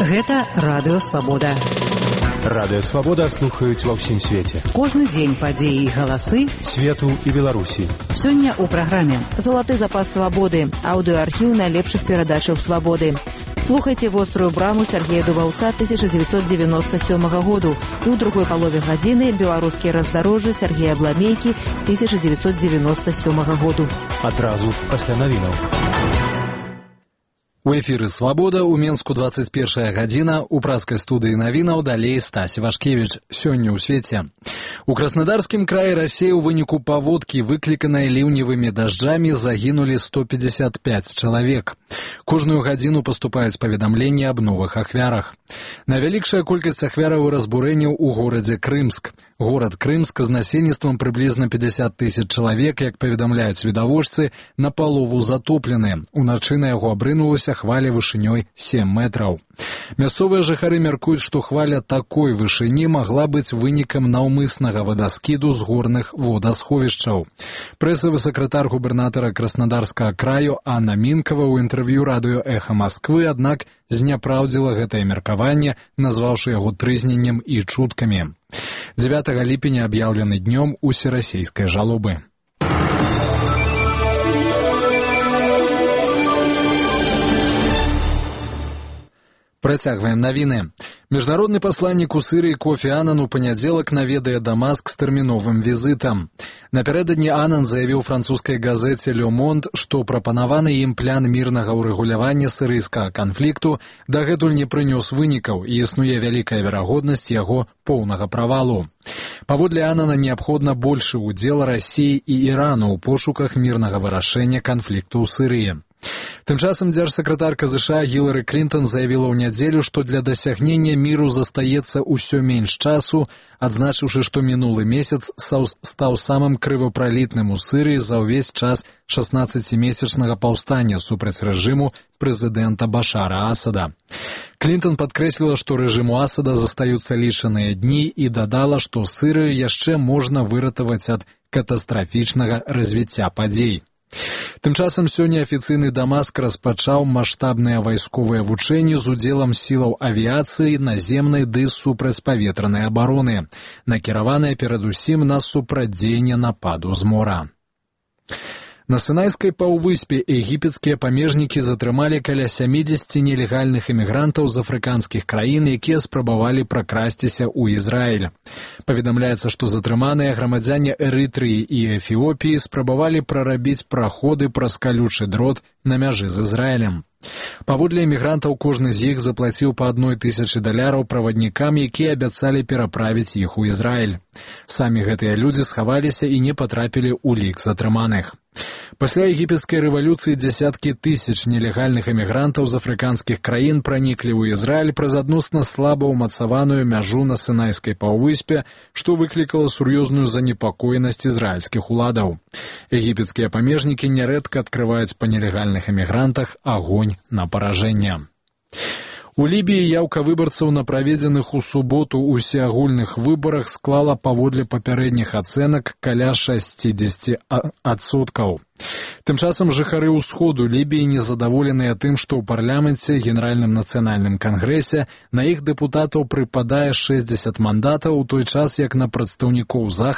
Гэта Радыё Свабода. Радыё Свабода слухаюць ва ўсім свеце. Кожны дзень падзеі і галасы свету і Беларусі. Сёння ў праграме «Залаты запас свабоды», аўдыоархіў найлепшых перадачаў свабоды. Слухайце «Вострую браму» Сергея Дубаўца 1997 году і ў другой палове гадзіны «Беларускія раздарожжы» Сергея Бламейкі 1997 году. Адразу пасля навінаў. У эфіры «Свабода», у Менску 21 гадзіна, у праскай студыі навінаў далей Стась Вашкевіч. Сёння ў свеце. У Краснодарскім краі Расіі ў выніку паводкі, выкліканай ліўневымі дажджамі, загінулі 155 чалавек. Кожную гадзіну паступаюць паведамленні аб новых ахвярах. Найвялікшая колькасць ахвяраў і разбурэнняў у горадзе Крымск. Горад Крымск з насельніцтвам прыблізна 50 тысяч чалавек, як паведамляюць відавочцы, напалову затоплены. Уначы на яго абрынулася хваля вышынёй 7 метраў. Мясцовыя жыхары мяркуюць, што хваля такой вышыні магла быць вынікам наўмыснага вадаскіду з горных водасховішчаў. Прэсавы сакратар губернатара Краснодарскага краю Анна Минкова ў інтэрв'ю радыё «Эхо Москвы», аднак зняпраўдзіла гэтае меркаванне, назваўшы яго трызненнем і чуткамі. 9 ліпеня аб'яўлены днём усерасійскай жалобы. Працягваем навіны. Міжнародны пасланнік у Сірыі Кофі Анан у панядзелак наведае Дамаск з тэрміновым візітам. Напярэдадні Анан заявіў французскай газеце «Ле Монд», што прапанаваны ім план мірнага ўрэгулявання сірыйскага канфлікту дагэтуль не прынёс вынікаў і існуе вялікая верагоднасць яго поўнага правалу. Паводле Анана неабходна большы ўдзел Расіі і Ірану ў пошуках мірнага вырашэння канфлікту ў Сірыі. Тым часам дзяржсакратарка США Гілары Клінтон заявіла ў нядзелю, што для дасягнення міру застаецца ўсё менш часу, адзначыўшы, што мінулы месяц стаў самым крывапралітным у Сірыі за ўвесь час 16-месячнага паўстання супраць рэжыму прэзідэнта Башара Асада. Клінтон падкрэсліла, што рэжыму Асада застаюцца лічаныя дні і дадала, што Сірыю яшчэ можна выратаваць ад катастрафічнага развіцця падзей. Тым часам сёння афіцыйны Дамаск распачаў маштабныя вайсковыя вучэнні з удзелам сілаў авіяцыі, наземнай ды супрацьпаветранай абароны, накіраваныя перадусім на супрацьдзеянне нападу з мора. На Сінайскай паўвыспе егіпецкія памежнікі затрымалі каля 70 нелегальных эмігрантаў з афрыканскіх краін, якія спрабавалі пракрасціся ў Ізраіль. Паведамляецца, што затрыманыя грамадзяне Эрытрыі і Эфіопіі спрабавалі прарабіць праходы праз калючы дрот на мяжы з Ізраілем. Паводле эмігрантаў кожны з іх заплаціў па $1000 праваднікам, якія абяцалі пераправіць іх у Ізраіль. Самі гэтыя людзі схаваліся і не патрапілі ў лік затрыманых. Пасля егіпецкай рэвалюцыі дзясяткі тысяч нелегальных эмігрантаў з афрыканскіх краін праніклі ў Ізраіль праз адносна слаба ўмацаваную мяжу на Сінайскай паўвыспе, што выклікала сур'ёзную занепакоенасць ізраільскіх уладаў. Егіпецкія памежнікі нярэдка адкрываюць па нелегальных эмігрантах агонь на паражэнне. У Лібіі яўка выбарцаў на праведзеных у суботу усеагульных выбарах склала паводле папярэдніх ацэнак каля 60%. Тым часам жыхары ўсходу Лібіі незадаволеныя тым, што ў парламенце, Генеральным нацыянальным кангрэсе на іх дэпутатаў прыпадае 60 мандатаў, у той час як на прадстаўнікоў